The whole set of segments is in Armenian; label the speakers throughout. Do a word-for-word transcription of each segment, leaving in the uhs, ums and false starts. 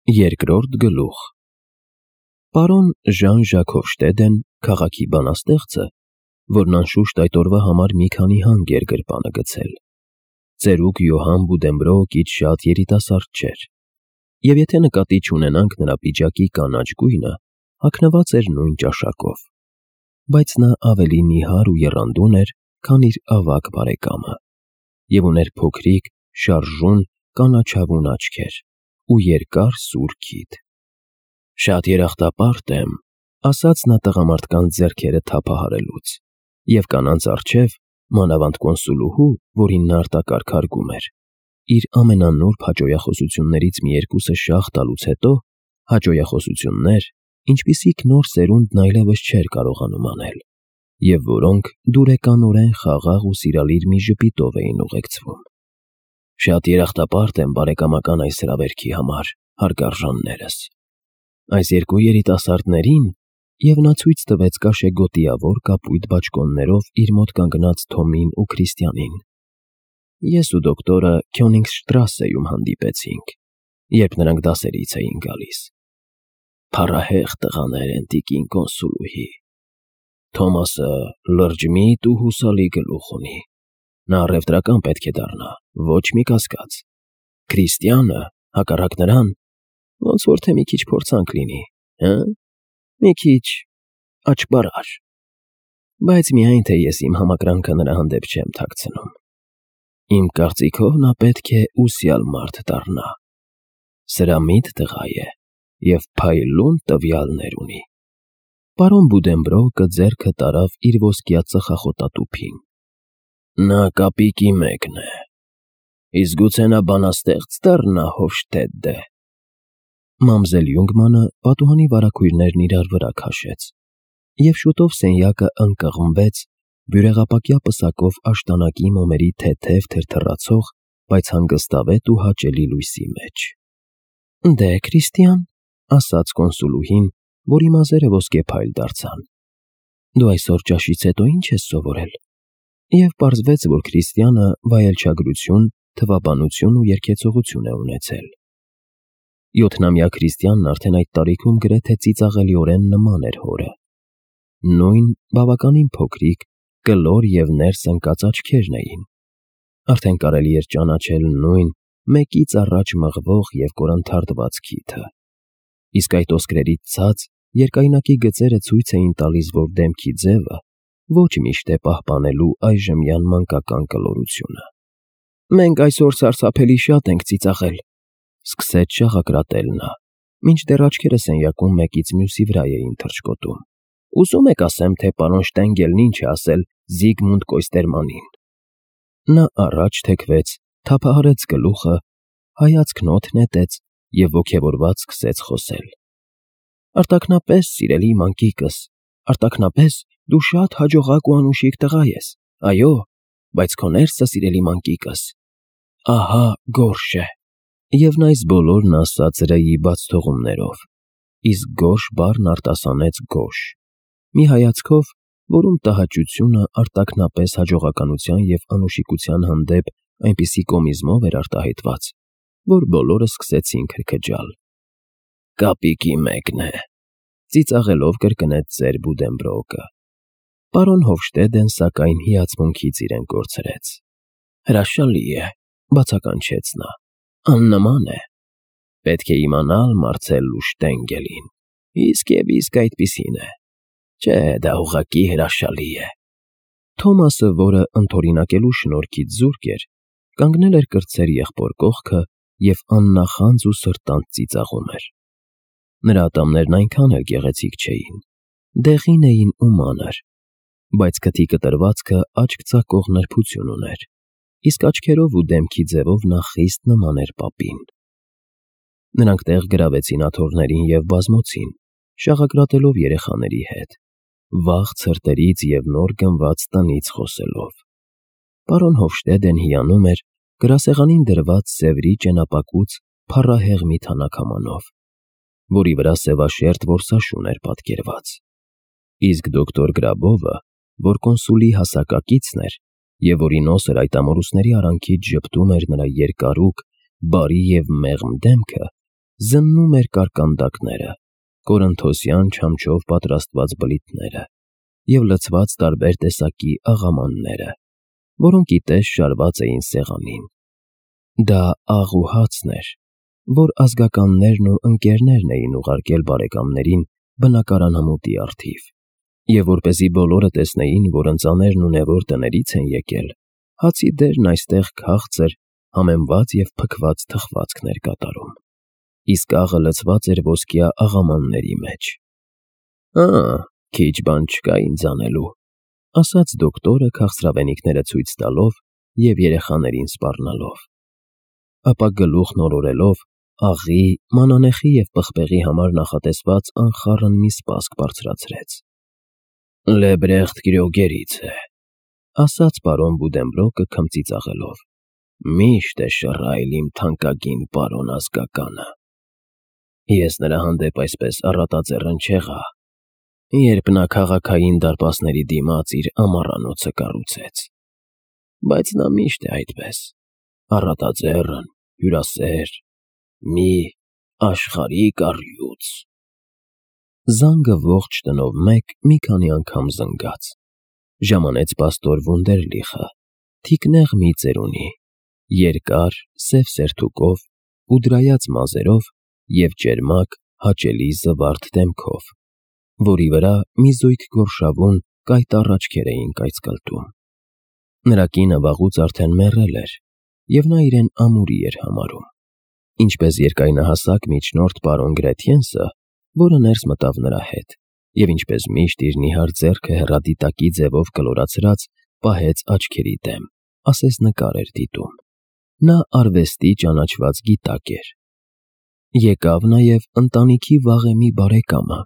Speaker 1: Երկրորդ գլուխ Պարոն Ժան-Ժակ Հոֆշտեդեն, քաղաքի բանաստեղծը, որն անշուշտ այդ օրվա համար մի քանի հանգ էր գրպանը գցել, ծերուկ Յոհան Բուդենբրոուկից շատ երիտասարդ չէր, և եթե նկատի չունենանք նրա պիջակի կանաչ գույնը, հագնված էր նույն ճաշակով, բայց նա ավելի նիհար ու եռանդուն էր, քան իր ավագ բարեկամը, և ուներ փոքրիկ, շարժուն, կանաչավուն աչքեր ու երկար սուր քիթ։ «Շատ երախտապարտ եմ», ասաց նա տղամարդկանց ձեռքերը թափահարելուց, և կանանց առջև, մանավանդ կոնսուլուհու, որին նա արտակարգ հարգում էր, իր ամենանուրբ հաճոյախոսություններից մի երկուսը շաղ տալուց հետո, հաճոյախոսություններ, ինչպիսիք նոր սերունդն այլևս չէր կարողանում անել, և որոնք դուրեկանորեն խաղաղ ու սիրալիր մի ժպիտով էին ուղեկցվում։ «Շատ երախտապարտ եմ բարեկամական այս հրավերքի համար, հարգարժաններս։ Այս երկու երիտասարդներին», և նա ցույց տվեց կաշեգոտիավոր կապույտ բաճկոններով իր մոտ կանգնած Թոմին ու Քրիստիանին, «ես ու դոկտորը Քյոնիգսշտրասեում հանդիպեցինք, երբ նրանք դասերից էին գալիս։ Փառահեղ տղաներ են, տիկին կոնսուլուհի։ Թոմասը լրջմիտ ու հուսալի գլուխ ունի, նա առևտրական պետք է դառնա, ոչ մի կասկած։ Քրիստիանը, հակառակ նրան, ոնց որ թե մի քիչ փորձանք լինի, հը՞, մի քիչ աճբարար, բայց միայն թե ես իմ համակրանքը նրա հանդեպ չեմ թաքցնում։ Իմ կարծիքով նա պետք է ուսյալ մարդ դառնա, սրամիտ տղա է և փայլուն տվյալներ ունի»։ Պարոն Բուդենբրոուկը ձեռքը տարավ իր ոսկյա ծխախոտատուփին։ «Նա կապիկի մեկն է, իսկ գուցե նա բանաստեղծ դառնա, Հոֆշտեդտե»։ Մամզել Յունգմանը պատուհանի վարագույրներն իրար վրա քաշեց, և շուտով սենյակը ընկղմվեց բյուրեղապակյա պսակով աշտանակի մոմերի թեթև թրթռացող, բայց հանգստավետ ու հաճելի լույսի մեջ։ «Դե, Քրիստիան», ասաց կոնսուլուհին, որի մազերը ոսկեփայլ դարձան, «դու այսօր ճաշից հետո ի՞նչ ես սովորել»։ Եվ պարզվեց, որ Քրիստիանը վայելչագրություն, թվաբանություն ու երգեցողություն է ունեցել։ Յոթնամյա Քրիստիանն արդեն այդ տարիքում գրեթե ծիծաղելիորեն նման էր հորը։ Նույն բավականին փոքրիկ, կլոր և ներս ընկած աչքերն էին։ Արդեն կարելի էր ճանաչել նույն մեկից առաջ մղվող և կորնթարթված քիթը։ Իսկ այդ ոսկրերից ցած երկայնակի գծերը ցույց էին տալիս, որ դեմքի ձևը ոչ միշտ է պահպանելու այժմյան մանկական կլորությունը։ «Մենք այսօր սարսափելի շատ ենք ծիծաղել», սկսեց շաղակրատել նա, մինչդեռ աչքերը սենյակում մեկից մյուսի վրա էին թռչկոտում։ «Ուզում եք ասեմ, թե պարոն Շտենգելն ինչ է ասել Զիգմունդ Կոյստերմանին»։ Նա առաջ թեքվեց, թափահարեց գլուխը, հայացքն օդ նետեց և ոգևորված սկսեց խոսել։ «Արտաքնապես, սիրելի մանկիկս, արտաքնապես դու շատ հաջողակ ու անուշիկ տղա ես, այո, բայց քո ներսը, սիրելի մանկիկս, ահա գորշ է»։ Եվ նա այս բոլորն ասաց Ռեի բացթողումներով, իսկ գորշ բառն արտասանեց գոշ, մի հայացքով, որում տհաճությունը արտաքնապես հաջողականության և անուշիկության հանդեպ այնպիսի կոմիզմով էր արտահայտված, որ բոլորը սկսեցին քրքջալ։ «Կապիկի մեկն է», ծիծաղելով կրկնեց ծեր Բուդենբրոուկը։ Պարոն Հոֆշտեդեն, սակայն, հիացմունքից իրեն կորցրեց։ «Հրաշալի է», բացականչեց նա, «աննման է։ Պետք է իմանալ Մարցելլու Շտենգելին, իսկ և իսկ այդպիսին է։ Չէ, դա ուղղակի հրաշալի է»։ Թոմասը, որը ընդօրինակելու շնորհքից զուրկ էր, կանգնել էր կրտսեր եղբոր կողքը և աննախանձ ու սրտանց ծիծաղում էր։ Նրա ատամներն այնքան էլ գեղեցիկ չէին, դեղին էին ու մանր, բայց քթի կտրվածքը աչք ծակող նրբություն ուներ, իսկ աչքերով ու դեմքի ձևով նա խիստ նման էր պապին։ Նրանք տեղ գրավեցին աթոռներին և բազմոցին, շաղակրատելով երեխաների հետ, վաղ ցրտերից և նոր գնված տնից խոսելով։ Պարոն Հոֆշտեդեն հիանում էր գրասեղանին դրված սևրի ճենապակուց փառահեղ մի թանաքամանով, որի վրա սևաշերտ որսաշուն էր պատկերված, իսկ դոկտոր Գրաբովը, որ կոնսուլի հասակակիցն էր և որի նոսր այդ ամորուսների արանքից ժպտում էր նրա երկարուկ, բարի և մեղմ դեմքը, զննում էր կարկանդակները, կորընթոսյան չամչով պատրաստված բլիթները և լցված տարբեր տեսակի աղամանները, որոնք ի տես շարված էին սեղանին։ Դա աղ ու հացն էր, որ ազգականներն ու ընկերներն էին ուղարկել բարեկամներին բնակարանամուտի առթիվ, և որպեսզի բոլորը տեսնեին, որ ընծաներն ունևոր տներից են եկել, հացի դերն այստեղ քաղցր, համեմված և փքված թխվածքն էր կատարում, իսկ աղը լցված էր ոսկյա աղամանների մեջ։ «Ա՛, քիչ բան չկա ինձ անելու», ֊ ասաց դոկտորը քաղցրավենիքները ցույց տալով և երեխաներին սպառնալով, ապա գլուխն օրորելով աղի, մանանեխի և պղպեղի համար նախատեսված անխառն մի սպասք բարձրացրեց։ «Լեբրեխտ Կրյոգերից է», ֊ ասաց պարոն Բուդենբրոկը քմծի ծաղելով։ «Միշտ է շռայլ իմ թանկագին պարոն ազգականը։ Ես նրա հանդեպ այսպես առատաձեռն չեղա, երբ նա քաղաքային դարպասների դիմաց իր ամառանոցը կառուցեց, բայց նա միշտ է այդպես, առատաձեռն, հյուրասեր, մի աշխարհիկ առյուծ»։ Զանգը ողջ տնով մեկ մի քանի անգամ զնգաց։ Ժամանեց պաստոր Վունդերլիխը, թիկնեղ մի ծերունի, երկար, սև սերթուկով ու դրայած մազերով և ճերմակ, հաճելի զվարթ դեմքով, որի վրա մի զույգ գորշավուն, կայտառ աչքեր էին կայծկլտում։ Նրա կինը վաղուց արդեն մեռել էր, և նա իրեն ամուրի էր համարում, ինչպես երկայնահասակ միջնորդ պարոն Գրեթյենսը, որը ներս մտավ նրա հետ, և ինչպես միշտ իր նիհար ձեռքը հեռադիտակի ձևով կլորացրած պահեց աչքերի դեմ, ասես նկար էր դիտում։ Նա արվեստի ճանաչված գիտակ էր։ Եկավ նաև ընտանիքի վաղեմի բարեկամը,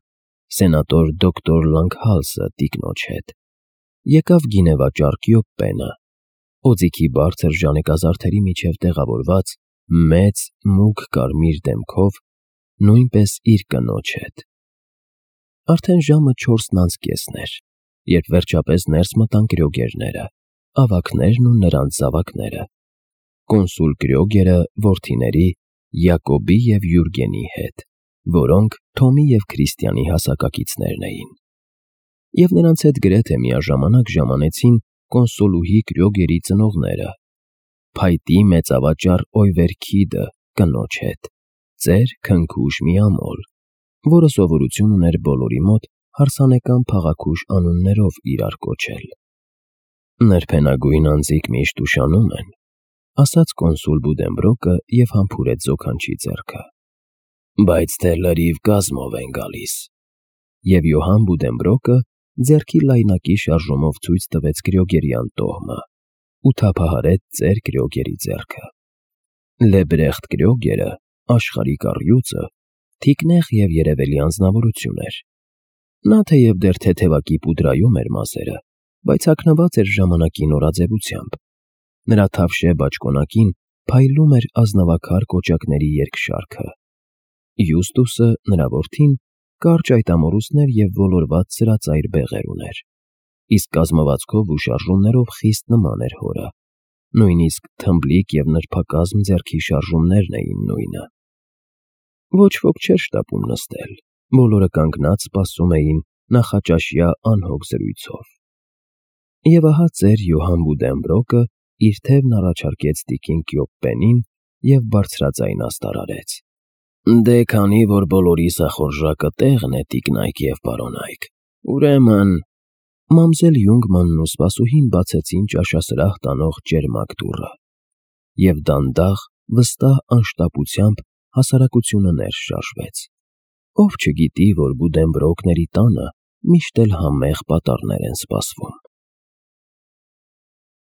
Speaker 1: սենատոր դոկտոր Լանգհալսը տիկնոջ հետ, եկավ գինեվաճառ Կյոպպենը, օձիքի բարձր ժանեկազարդերի միջև տեղավորված մեծ, մուգ կարմիր դեմքով, նույնպես իր կնոջ հետ։ Արդեն ժամը չորսն անց կեսն էր, երբ վերջապես ներս մտան Կրյոգերները, ավագներն ու նրանց զավակները, կոնսուլ Կրյոգերը որդիների Յակոբի և Յուրգենի հետ, որոնք Թոմի և Քրիստիանի հասակակիցներն էին, և նրանց հետ գրեթե միաժամանակ ժամանեցին կոնսոլուհի Կրյոգերի ծնողները, փայտի մեծավաճառ Օյվեր Քիդը կնոջ հետ, ծեր քնքուշ մի ամոլ, որը սովորություն ուներ բոլորի մոտ հարսանեկան փաղաքուշ անուններով իրար կոչել։ «Նրբենագույն անձիկ միշտ ուշանում են», ֊ ասաց կոնսուլ Բուդենբրոկը և համբուրեց զոքանչի ձեռքը, «բայց թե լրիվ կազմով են գալիս»։ Եվ Յոհան Բուդենբրոկը ձեռքի լայնակի շարժումով ցույց տվեց Կրյոգերյան տոհմը ու թափահարեց ծեր Կրյոգերի ձեռքը։ Լեբրեխտ Կրյոգերը, աշխարհիկ առյուծը, թիկնեղ և երևելի անձնավորություն էր։ Նա թեև դեռ թեթևակի պուդրայում էր մազերը, բայց հագնված էր ժամանակի նորաձևությամբ։ Նրա թավշե բաճկոնակին փայլում էր ազնվաքար կոճակների երկշարքը։ Յուստուսը, նրա որդին, կարճ այտամորուսներ և ոլորված սրածայր բեղեր ուներ, իսկ կազմվածքով ու շարժումներով խիստ նման էր հորը, նույնիսկ թմբլիկ և նրբակազմ ձեռքի շարժումներն էին նույնը։ Ոչ ոք չէր շտապում նստել, բոլորը կանգնած սպասում էին նախաճաշյա անհոգ զրույցով։ Եվ ահա ծեր Յոհան Բուդենբրոկը իր թևն առաջարկեց տիկին Կյոպպենին և բարձրաձայն աստարարեց. «Դե քանի որ բոլորի սախորժակը տեղն է, տիկնայք և պարոնայք, ուրեմն…» Մամզել Յունգմանն ու սպասուհին բացեցին ճաշասրահ տանող ճերմակ դուռը, և դանդաղ, վստահ անշտապությամբ հասարակությունը ներս շարժվեց։ Ով չգիտի, որ Բուդենբրոկների տանը միշտ էլ համեղ պատառներ են սպասվում։